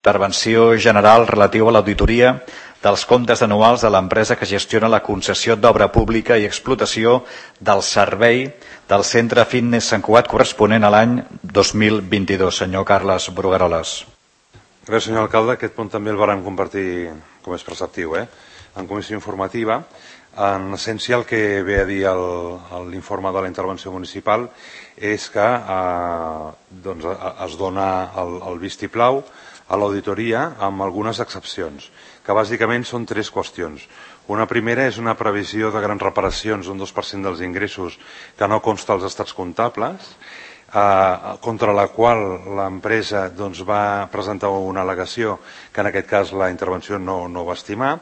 Intervenció general relativa a l'auditoria dels comptes anuals de l'empresa que gestiona la concessió d'obra pública i explotació del servei del Centre Fitness Sant Cugat corresponent a l'any 2022. Senyor Carles Brugueroles. Gràcies, senyor alcalde. Aquest punt també el vàrem compartir, com és preceptiu, en comissió informativa. En essència, el que ve a dir l'informe de la intervenció municipal és que es dona el vistiplau a l'auditoria amb algunes excepcions, que bàsicament són tres qüestions. Una primera és una previsió de grans reparacions d'un 2% dels ingressos que no consta als estats comptables, contra la qual l'empresa va presentar una al·legació que en aquest cas la intervenció no va estimar.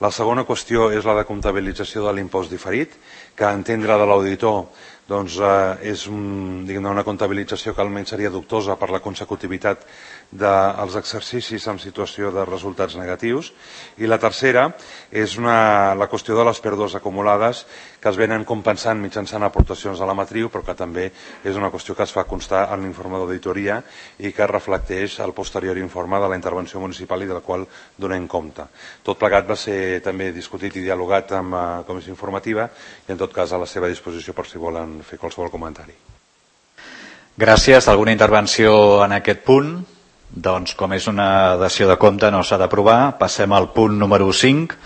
La segona qüestió és la de comptabilització de l'impost diferit, que a entendre de l'auditor és una comptabilització que almenys seria dubtosa per la consecutivitat dels exercicis en situació de resultats negatius. I la tercera és la qüestió de les pèrdues acumulades que es venen compensant mitjançant aportacions a la matriu, però que també és una qüestió que es fa constar en l'informe d'auditoria i que reflecteix el posterior informe de la intervenció municipal i del qual donem compte. Tot plegat va ser també discutit i dialogat amb la comissió informativa i en tot cas a la seva disposició per si volen fer qualsevol comentari. Gràcies. Alguna intervenció en aquest punt? Doncs com és una dació de compte no s'ha d'aprovar. Passem al punt número 5.